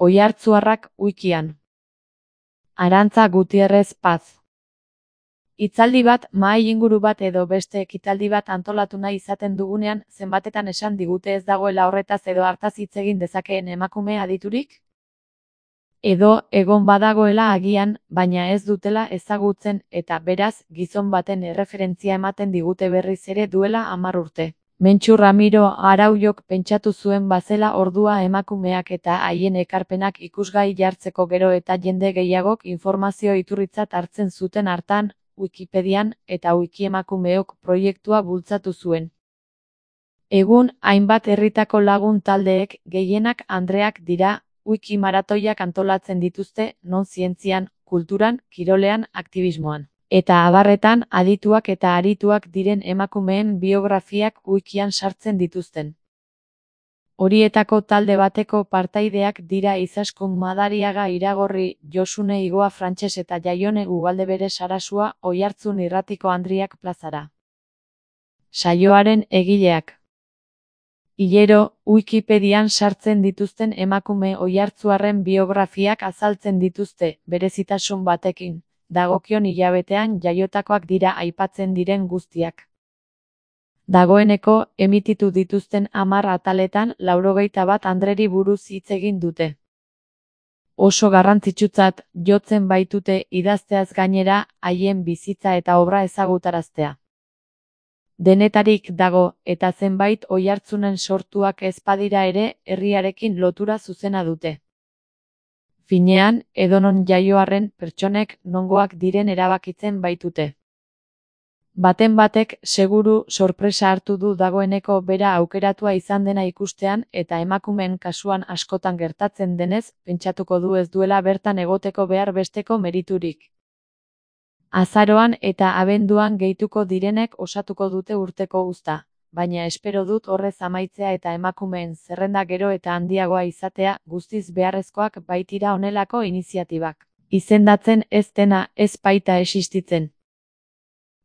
Oiartzuarrak wikian. Arantza Gutierrez Paz. Hitzaldi bat, mahai inguru bat edo beste ekitaldi bat antolatu nahi izaten dugunean, zenbatetan esan digute ez dagoela horretaz edo hartaz hitz egin dezakeen emakume aditurik? Edo egon badagoela agian, baina ez dutela ezagutzen eta beraz, gizon baten erreferentzia ematen digute berriz ere duela 10 urte. Mentxu Ramiro Araujok pentsatu zuen bazela ordua emakumeak eta haien ekarpenak ikusgai jartzeko gero eta jende gehiagok informazio iturritzat hartzen zuten hartan, Wikipedian eta Wikiemakumeok proiektua bultzatu zuen. Egun, hainbat herritako lagun taldeek, gehienak andreak dira, wiki maratoiak antolatzen dituzte, non zientzian, kulturan, kirolean, aktivismoan. Eta abarretan, adituak eta arituak diren emakumeen biografiak wikian sartzen dituzten. Horietako talde bateko partaideak dira Izaskun Madariaga Iragorri, Josune Igoa Frantses eta Jaione Ugaldebere Sarasua Oiartzun Irratiko Andriak plazara. Saioaren egileak. Hilero, Wikipedian sartzen dituzten emakume oiartzuarren biografiak azaltzen dituzte, berezitasun batekin, dagokion hilabetean jaiotakoak dira aipatzen diren guztiak. Dagoeneko, emititu dituzten 10 ataletan 91 andreri buruz hitz egin dute. Oso garrantzitsutzat jotzen baitute idazteaz gainera, haien bizitza eta obra ezagutaraztea. Denetarik dago, eta zenbait oihartzunen sortuak ez badira ere, herriarekin lotura zuzena dute. Finean, edonon jaioarren pertsonek nongoak diren erabakitzen baitute. Baten batek, seguru, sorpresa hartu du dagoeneko bera aukeratua izan dena ikustean eta emakumeen kasuan askotan gertatzen denez, pentsatuko du ez duela bertan egoteko behar besteko meriturik. Azaroan eta abenduan gehituko direnek osatuko dute urteko uzta, baina espero dut horrez amaitzea eta emakumeen zerrenda gero eta handiagoa izatea guztiz beharrezkoak baitira honelako iniziatibak. Izendatzen ez dena ez baita existitzen.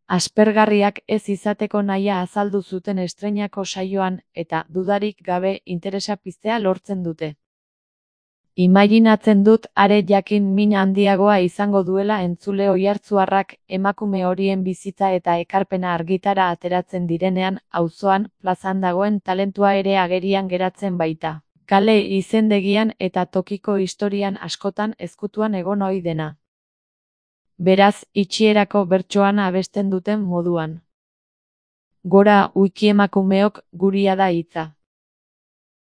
Aspergarriak ez izateko nahia azaldu zuten estreinako saioan eta dudarik gabe interesa piztea lortzen dute. Imaginatzen dut are jakin min handiagoa izango duela entzule oihartzuarrak emakume horien bizitza eta ekarpena argitara ateratzen direnean, auzoan, plazan dagoen talentua ere agerian geratzen baita. Kale izendegian eta tokiko historian askotan ezkutuan egon ohi dena. Beraz, itxierako bertsoan abesten duten moduan. Gora Wikiemakumeok, guria da hitza.